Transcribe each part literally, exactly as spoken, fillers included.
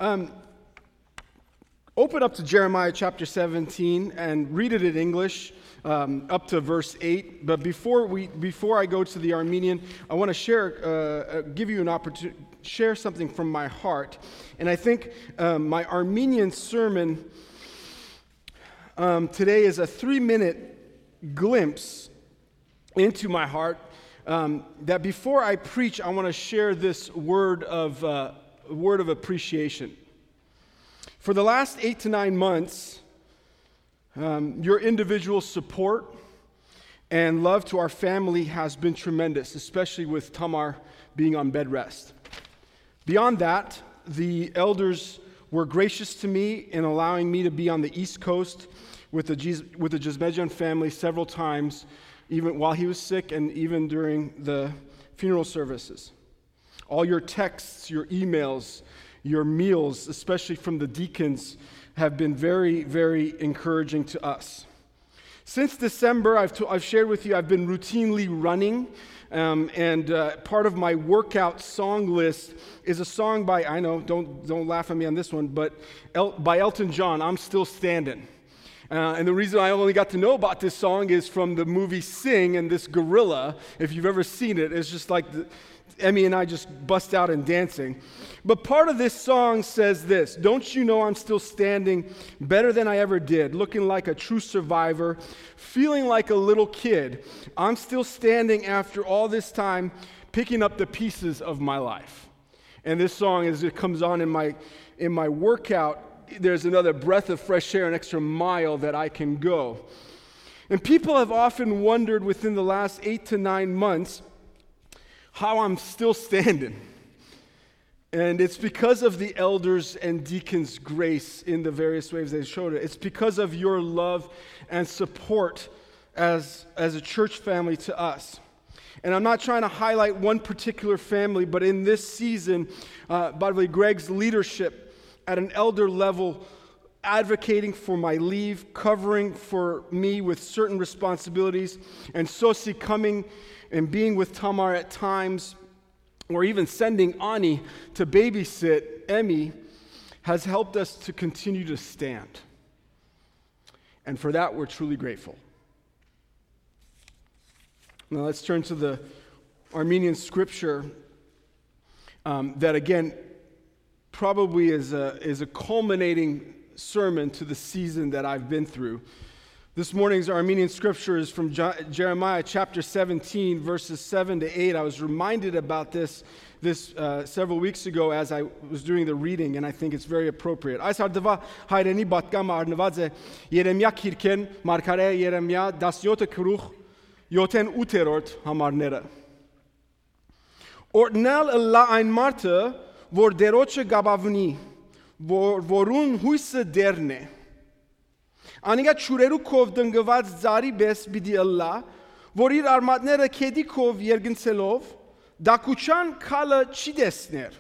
Um, open up to Jeremiah chapter seventeen and read it in English, um, up to verse eight. But before we, before I go to the Armenian, I want to share, uh, uh, give you an opportunity, share something from my heart. And I think, um, my Armenian sermon, um, today is a three-minute glimpse into my heart, um, that before I preach, I want to share this word of, uh, word of appreciation. For the last eight to nine months, um, your individual support and love to our family has been tremendous, especially with Tamar being on bed rest. Beyond that, the elders were gracious to me in allowing me to be on the East Coast with the Jis-, with the Jizmejian family several times, even while he was sick and even during the funeral services. All your texts, your emails, your meals, especially from the deacons, have been very, very encouraging to us. Since December, I've, t- I've shared with you, I've been routinely running, um, and, uh, part of my workout song list is a song by, I know, don't, don't laugh at me on this one, but El- by Elton John, "I'm Still Standing." Uh, and the reason I only got to know about this song is from the movie Sing, and this gorilla, if you've ever seen it, it's just like the, Emmy and I just bust out in dancing. But part of this song says this: "Don't you know I'm still standing better than I ever did, looking like a true survivor, feeling like a little kid? I'm still standing after all this time, picking up the pieces of my life." And this song, as it comes on in my, in my workout, there's another breath of fresh air, an extra mile that I can go. And people have often wondered within the last eight to nine months how I'm still standing. And it's because of the elders and deacons' grace in the various ways they showed it. It's because of your love and support as, as a church family to us. And I'm not trying to highlight one particular family, but in this season, uh, by the way, Greg's leadership at an elder level, advocating for my leave, covering for me with certain responsibilities, and Sosi coming and being with Tamar at times, or even sending Ani to babysit Emmy, has helped us to continue to stand. And for that, we're truly grateful. Now let's turn to the Armenian scripture, um, that again probably is a, is a culminating sermon to the season that I've been through. This morning's Armenian scripture is from Je- Jeremiah chapter seventeen, verses seven to eight. I was reminded about this this, uh, several weeks ago as I was doing the reading, and I think it's very appropriate. Այս արդուայ հայրենի պատգամը առնուած է Երեմիա քիրքէն, մարգարէ Երեմիա, տասնեօթ գլուխ, յոթերորդ, ութերորդ համարները։ Օրհնեալ ըլլայ այն մարդը, որ Տէրոջը կ'ապաւնի, որ, որուն յոյսը Տէրն է։ Անիկա ջուրերու քով տնկուած ծառի պէս պիտի ըլլայ, որ իր արմատները գետի քով երկնցելով, տաքութեան քալը չի տեսներ,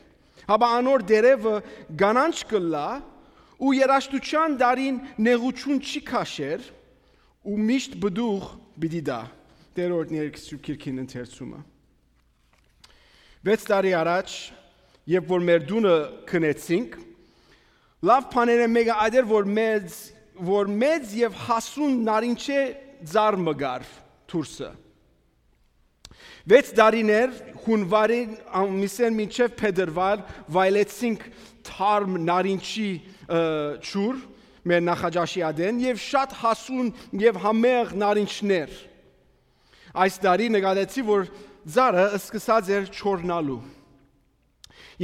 հապա անոր տերեւը կանանչ կ'ըլլայ ու երաժշտութեան տարին նեղութիւն չի քաշեր ու միշտ պտուղ պիտի տայ։ Տէրոջը ներկայացուց քիրքին ընթերցումը։ Վեց տարի առաջ, երբ որ մեր տունը գնեցինք, լաւ բաներէն մէկը այդ էր, որ մեծ, որ մեծ եւ հասուն նարինջէ ծառ մը կար դուրսը։ Վեց տարիներ, հունվարի ամիսէն մինչեւ փետրվար, վայելեցինք թարմ նարինջի, ը, ջուր մեր նախաճաշի ատեն եւ շատ հասուն եւ համեղ նարինջներ։ Այս տարի նկատեցի, որ ծառը սկսած էր չորնալու։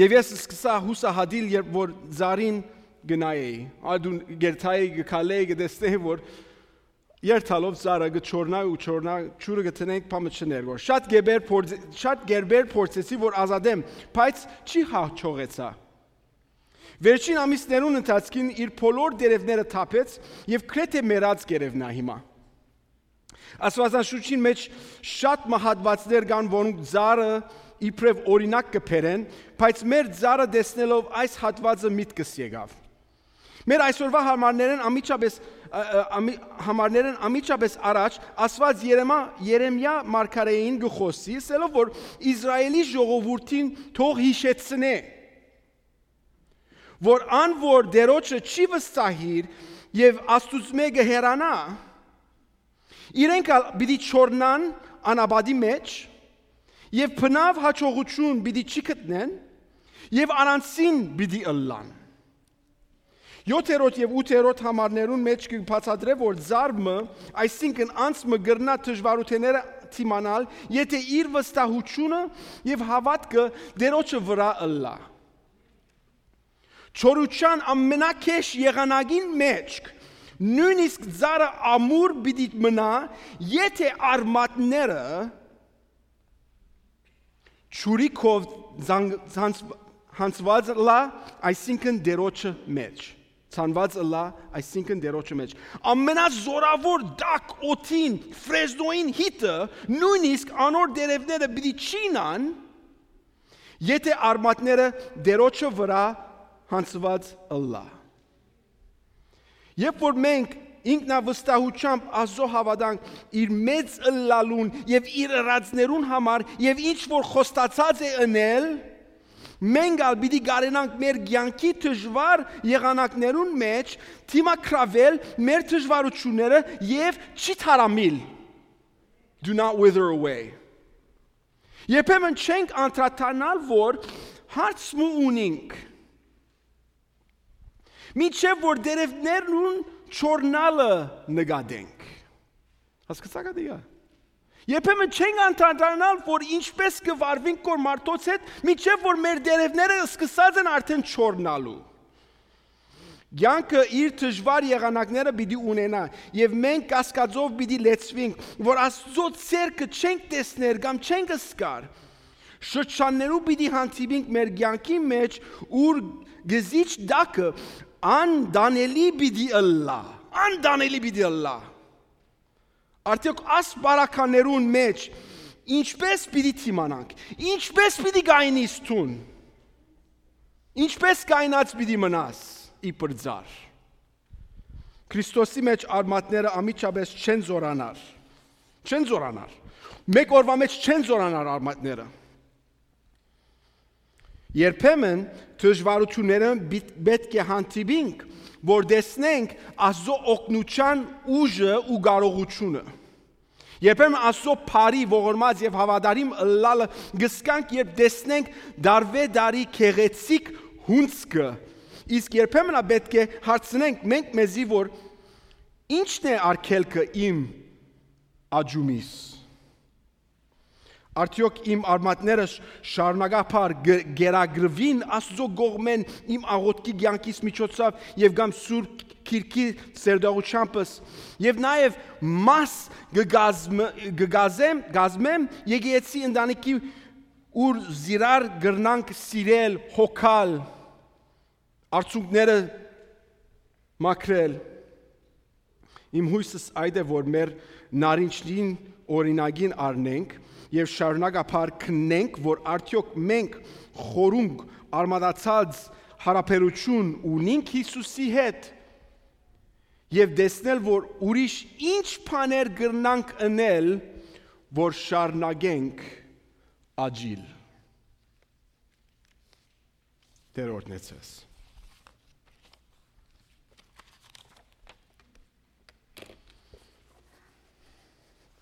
Եւ ես սկսա յուսահատիլ, երբ որ ծառին գնայ էի։ Ա, դուն գերթայի, գկալեի, գտեսնեի, որ երթալով ծառը կը չորնայ ու չորնայ, ջուրը կը տնենք, բան մը չներ, որ շատ գերբեր փորձ-, շատ գերբեր փորձեցի, որ ազատեմ, բայց չի հաջողեցա։ Վերջին ամիսներուն ընթացքին իր բոլոր տերևները թափեց եւ գրեթէ մեռած կ'երեւնայ հիմա։ Աստուածաշունչին մէջ շատ մը հատուածներ կան, որոնք ծառը իբրեւ օրինակ կը բերեն, բայց մեր ծառը տեսնելով այս հատուածը միտքս եկաւ։ Մեր այսօրվա համարներէն անմիջապես, ը, ը, ամի-, համարներէն անմիջապես առաջ Աստուած Երեմա-, Երեմիա մարգարէին կը խօսի, ասելով, որ Իսրայէլի ժողովուրդին թող յիշեցնէ, որ ան որ Տէրոջը չի վստահիր եւ Աստուծմէ կը հեռանայ, իրենք ալ պիտի չորնան անապատի մէջ եւ բնաւ յաջողութիւն պիտի չի գտնեն եւ առանցին պիտի ըլլան։ Յոթերորդ եւ ութերորդ համարներուն մէջ կը բացատրէ, որ ծառ մը, այսինքն անձ մը կրնայ դժուարութիւնները դիմանալ, եթէ իր վստահութիւնը եւ հաւատքը Տէրոջը վրայ ըլլայ։ Չորութեան ամենագէշ եղանակին մէջ, նոյնիսկ ծառը ամուր պիտի մնայ, եթէ արմատները ջուրի քով յանց-, յանց-, յանցուած ըլլայ, այսինքն Տէրոջը մէջ։ Ցանուած ըլլայ, այսինքն Տէրոջը մէջ։ Ամենազօրաւոր տաք օդին, Ֆրեզնոյին հիթը, նոյնիսկ անոր տերեւները պիտի չիյնան, եթէ արմատները Տէրոջը վրայ յանցուած ըլլայ։ Երբ որ մենք ինքնավստահութեամբ Աստուծոյ հաւատանք, իր մեծ ըլլալուն եւ իր ըրածներուն համար եւ ինչ որ խոստացած է ընել, մենք ալ պիտի կարենանք մեր կեանքի դժուար եղանակներուն մէջ դիմագրաւել մեր դժուարութիւնները եւ չի թարամիլ։ Do not wither away. Երբեմն չենք անդրադառնալ, որ հարց մը ունինք, մինչեւ որ տերեւներուն չորնալը նկատենք։ Հասկացա՞ք ատիկա։ Երբեմն չենք անդրադառնալ, որ ինչպես կը վարուինք կոր մարդոց հետ, մինչեւ որ մեր տերեւները սկսած են արդեն չորնալու։ Կեանքը իր դժուար եղանակները պիտի ունենայ, եւ մենք կասկածով պիտի լեցուինք, որ Աստուծոյ ձեռքը չենք տեսներ կամ չենք զգար։ Շրջաններու պիտի հանդիպինք մեր կեանքի մէջ, ուր գզիչ տակը անտանելի պիտի ըլլայ, անտանելի պիտի ըլլայ։ Արդեօք աս բարականերուն մէջ ինչպես պիտի դիմանանք, ինչպես պիտի կայնիս դուն, ինչպես կայնած պիտի մնաս իբր ծառ։ Քրիստոսի մէջ արմատները անմիջապէս չեն զօրանար, չեն զօրանար, մէկ օրուայ մէջ չեն զօրանար արմատները։ Երբեմն դժուարութիւններէն պիտ-, պէտք է հանդիպինք, որ տեսնենք Աստուծոյ օգնութեան ուժը ու կարողութիւնը։ Երբեմն Աստուծոյ բարի, ողորմած եւ հաւատարիմ ըլլալը կ'զգանք, երբ տեսնենք տարուէ տարի գեղեցիկ հունձքը, իսկ երբեմն ալ պէտք է հարցնենք մենք մեզի, որ ի՞նչն է արգելքը իմ աճումիս։ Արդեօք իմ արմատները շ-, շարունակաբար գ-, կերակրուին Աստուծոյ կողմէն իմ աղօթքի կեանքիս միջոցաւ եւ կամ Սուրբ Գիրքի սերտողութեամբս, եւ նաեւ մաս կը կազմեմ, կը կազմեմ, կազմեմ եկեղեցի ընտանիքի, ուր զիրար կրնանք սիրել, հոգալ, արցունքները մաքրել։ Իմ յոյսս այդ է, որ մեր նարինջին օրինակին առնենք եւ շարունակաբար քննենք, որ արդեօք մենք խորունկ արմատացած հարաբերութիւն ունինք Յիսուսի հետ, եւ տեսնել, որ ուրիշ ինչ բաներ կրնանք ընել, որ շարունակենք աճիլ։ Տէր օրհնեցես։